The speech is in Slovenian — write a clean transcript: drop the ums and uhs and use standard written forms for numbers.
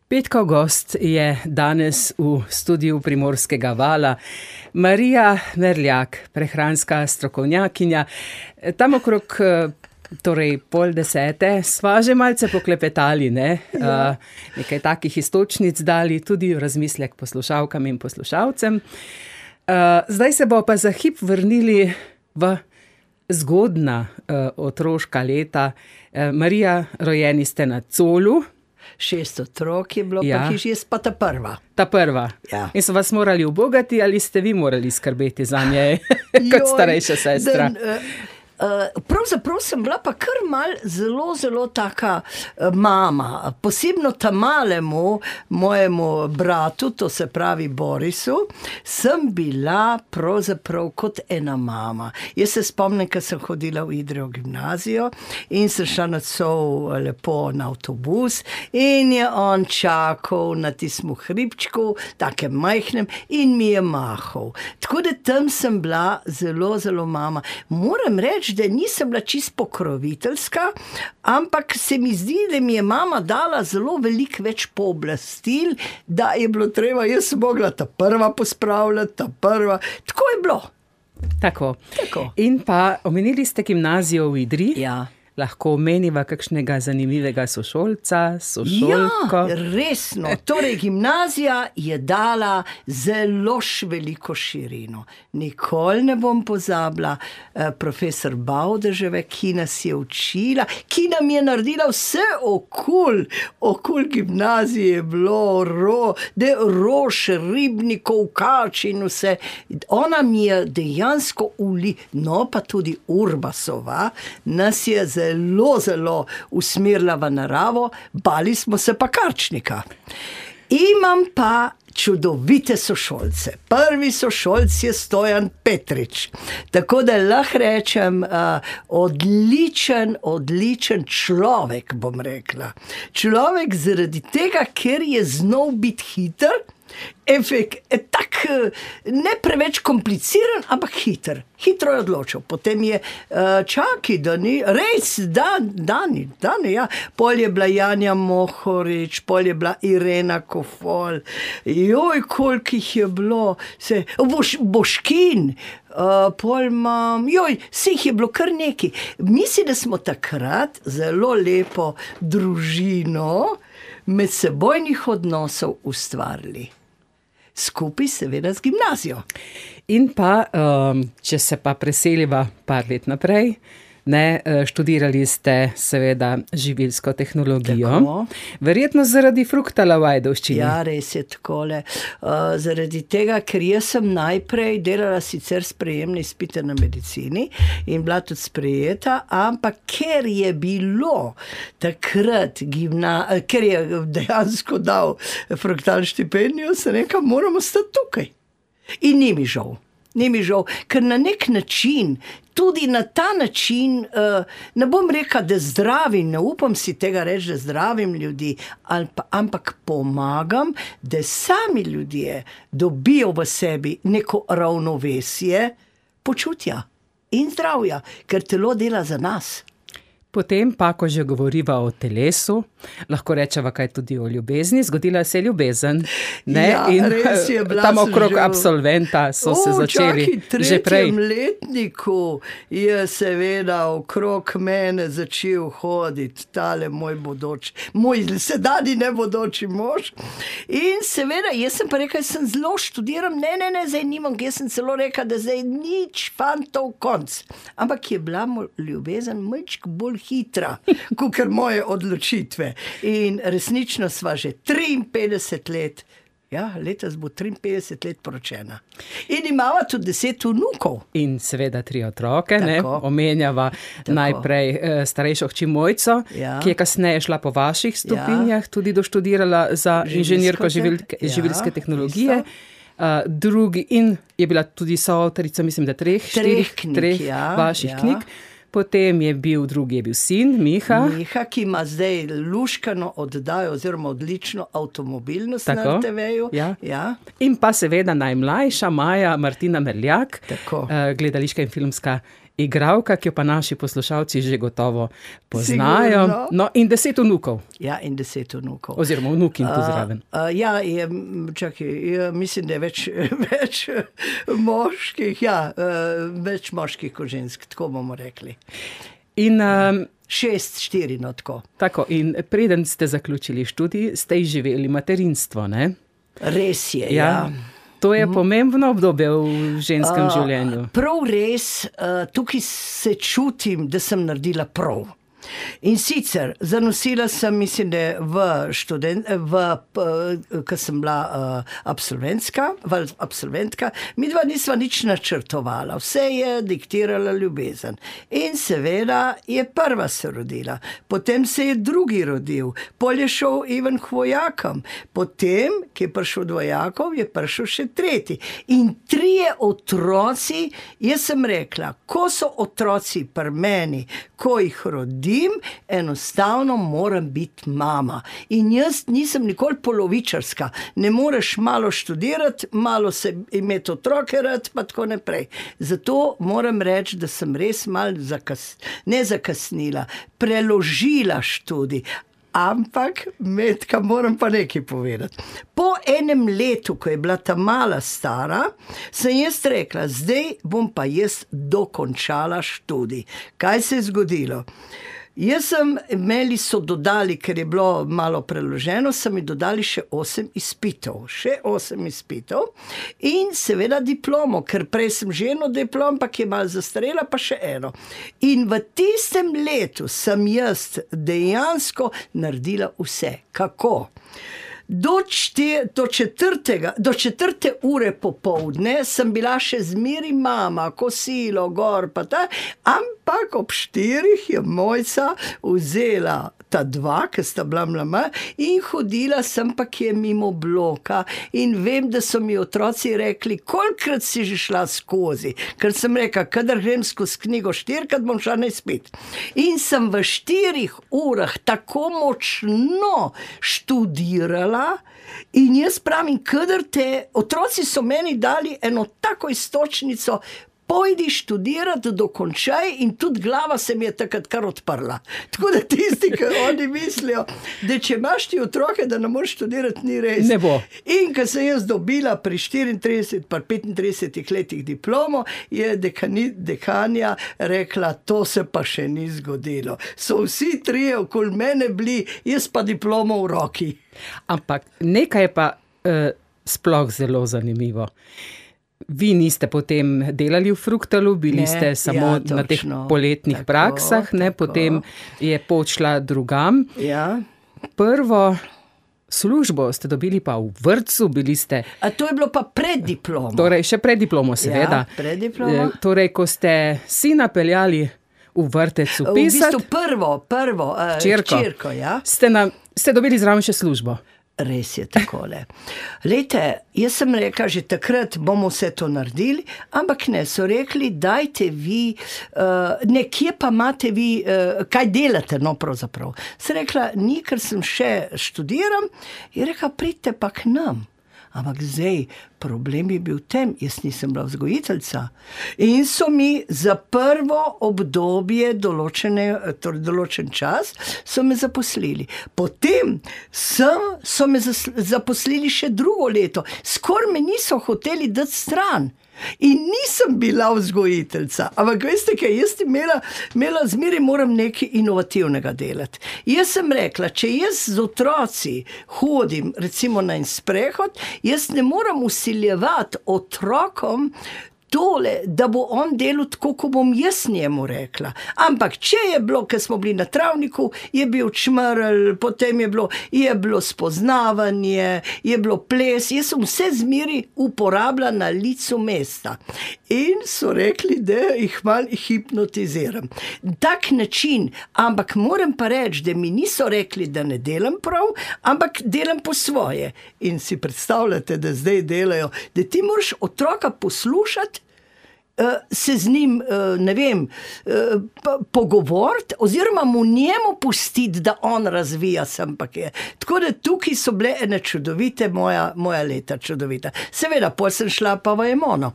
Petkov gost je danes v studiu Primorskega vala Marija Merljak, prehranska strokovnjakinja. Tam okrog torej 9:30 sva že malce poklepetali, ne? Nekaj takih iztočnic dali, tudi v razmislek poslušalkam in poslušalcem. Zdaj se bo pa za hip vrnili v zgodna otroška leta. Marija, rojeni ste na Colu. 6 otrok je bilo, pa hiš, jaz pa ta prva. Ta prva. Ja. In so vas morali ubogati ali ste vi morali skrbeti za nje kot starejša sestra? Pravzaprav sem bila pa kar zelo taka mama, posebno ta-malemu mojemu bratu, to se pravi Borisu, sem bila pravzaprav kot ena mama. Jaz se spomnim, ko sem hodila v Idrijo gimnazijo in sem šla nocoj lepo na avtobus in je on čakal na tistem hribčku, takem majhnem, in mi je mahal. Tako da tam sem bila zelo mama. Moram reči, da nisem bila čisto pokroviteljska, ampak se mi zdi, da mi je mama dala zelo veliko več pooblastil, da je bilo treba, jaz sem mogla ta prva pospravljati, ta prva. Tako je bilo. Tako. In pa omenili ste gimnazijo v Idriji. Ja. Lahko omeniva kakšnega zanimivega sošolca, sošolko? Ja, resno. Torej, gimnazija je dala zelo veliko širino. Nikoli ne bom pozabila profesor Bavdeževe, ki nas je učila, ki nam je naredila vse okoli gimnazije je bilo rož, ribnikov, kač in vse. Ona mi je dejansko no pa tudi Urbasova, nas je zelo usmerila v naravo, bali smo se pa Karčnika. Imam pa čudovite sošolce. Prvi sošolc je Stojan Petrič. Tako da lahko rečem, odličen človek, bom rekla. Človek zaradi tega, ker je znal biti hiter, tak ne preveč kompliciran, ampak hiter. Hitro je odločil. Potem je Dani. Pol je bila Janja Mohorič, pol je bila Irena Kofol. Koliko jih je bilo. Boškin. Pol imam. Vseh je bilo kar nekaj. Mislim, da smo takrat zelo lepo družino medsebojnih odnosov ustvarili. Skupaj seveda z gimnazijo. In pa, če se pa preseliva par let naprej, študirali ste seveda živilsko tehnologijo. Tako. Verjetno zaradi fruktala v Ajdovščini. Ja, res je takole. Zaradi tega, ker jaz sem najprej delala sicer sprejemne izpite na medicini in bila tudi sprejeta, ampak ker je bilo takrat ker je dejansko dal fruktal štipendijo, se nekam moramo stati tukaj. In ni mi žal, ker na nek način, tudi na ta način, ne bom rekla, da zdravim, ne upam si tega reči, da zdravim ljudi, ampak pomagam, da sami ljudje dobijo v sebi neko ravnovesje počutja in zdravja, ker telo dela za nas. Potem pa, ko že govoriva o telesu, lahko rečeva kaj tudi o ljubezni. Zgodila se je ljubezen. Ja, res je bila. Tam okrog absolventa so se začeli že prej. V 3. letniku je seveda okrog mene začel hoditi tale moj sedajni nebodoči mož. In seveda, jaz sem pa rekla, sem zelo študiram, ne, zdaj nimam, jaz sem celo rekla, da zdaj nič fantov konc. Ampak je bila ljubezen malček bolj hitra, kakor moje odločitve. In resnično sva že 53 let, letos bo 53 let poročena. In imava tudi 10 vnukov. In seveda 3 otroke, omenjava najprej starejšo hči Mojco, ki je kasneje šla po vaših stopinjah, tudi doštudirala za inženirko živilske tehnologije. Drugi in je bila tudi soavtorica, mislim, da 3 vaših knjig. Potem je bil sin, Miha. Miha, ki ima zdaj luškano oddajo oziroma odlično avtomobilnost na TV-ju. Ja. In pa seveda najmlajša Maja Martina Merljak, gledališka in filmska igralka, ki jo pa naši poslušalci že gotovo poznajo. Sigurno. No, in 10 vnukov. Ja, in 10 vnukov. Oziroma vnukin tu zraven. Mislim, da je več moških, več moških kot žensk, tako bomo rekli. In 6-4, no tako. Tako, in preden ste zaključili študij, ste izživeli materinstvo, ne? Res je, ja. To je pomembno obdobje v ženskem življenju. Prav res, tukaj se čutim, da sem naredila prav. In sicer, zanosila sem, mislim, da ko sem bila absolventka, midva nisva nič načrtovala, vse je diktirala ljubezen. In seveda je prva se rodila, potem se je drugi rodil, pol je šel Ivan k vojakom, potem, ki je prišel od vojakov, je prišel še tretji. In 3 otroci, jaz sem rekla, ko so otroci pri meni, ko jih rodim, enostavno moram biti mama. In jaz nisem nikoli polovičarska. Ne moreš malo študirati, malo se imeti otroke rad, pa tako naprej. Zato moram reči, da sem res malo ne zakasnila, preložila študij. Ampak, Metka, moram pa nekaj povedati. Po enem letu, ko je bila ta mala stara, sem jaz rekla, zdaj bom pa jaz dokončala študij. Kaj se je zgodilo? Meni so dodali, ker je bilo malo preloženo, so mi dodali še 8 izpitov. In seveda diplomo, ker prej sem že eno diplom, pa ki je malo zastarela, pa še eno. In v tistem letu sem jaz dejansko naredila vse. Kako? Do 4. ure popoldne sem bila še zmeri mama, kosilo, gor pa ta, ampak ob 4 je Mojca vzela ta 2, ki sta bila mlama, in hodila sem pa kje mimo bloka in vem, da so mi otroci rekli, kolikrat si že šla skozi, ker sem rekla, kadar grem skozi knjigo 4-krat, bom šla na izpit. In sem v 4 urah tako močno študirala. In jaz pravim, kadar otroci so meni dali eno tako iztočnico, pojdi študirati, dokončaj, in tudi glava se mi je takrat kar odprla. Tako da tisti, ki oni mislijo, da če imaš ti otroke, da ne moreš študirati, ni res. Ne bo. In ko sem jaz dobila pri 34 pa 35 letih diplomo, je dekanja rekla, to se pa še ni zgodilo. So vsi 3 okoli mene bili, jaz pa diplomo v roki. Ampak nekaj je pa sploh zelo zanimivo. Vi niste potem delali v Fruktalu, bili ste samo na teh poletnih praksah, potem je počla drugam. Ja. Prvo službo ste dobili pa v vrtcu, bili ste... A to je bilo pa pred diplomo. Torej, še pred diplomo, seveda. Ja, pred diplomo. Torej, ko ste sina peljali v vrtec upisati... V bistvu prvo, hčerko, ja. Ste dobili zraven še službo. Res je takole. Lejte, jaz sem rekla, že takrat bomo vse to naredili, ampak ne, so rekli, dajte vi, nekje pa imate vi, kaj delate, no pravzaprav. Sem rekla, ni, ker sem še študiram, in rekla, pridite pa k nam. Ampak zdaj, problem je bil tem, jaz nisem bila vzgojiteljica. In so mi za prvo obdobje določen čas, so me zaposlili. Potem so me zaposlili še drugo leto. Skoraj me niso hoteli dati stran. In nisem bila vzgojiteljica, ampak veste kaj, jaz imela zmeraj moram nekaj inovativnega delati. Jaz sem rekla, če jaz z otroci hodim recimo na en sprehod, jaz ne moram vsiljevati otrokom tole, da bo on delal tako, ko bom jaz njemu rekla. Ampak če je bilo, ker smo bili na travniku, je bil čmrl, potem je bilo spoznavanje, je bilo ples, jaz sem vse zmeri uporabila na licu mesta. In so rekli, da jih malo hipnotiziram. Tak način, ampak moram pa reči, da mi niso rekli, da ne delam prav, ampak delam po svoje. In si predstavljate, da zdaj delajo, da ti moraš otroka poslušati, se z njim, ne vem, pogovoriti, oziroma mu njemu pustiti, da on razvija sem pa kje. Tako da tukaj so bile ene čudovite, moja leta čudovita. Seveda, potem sem šla pa v Emono.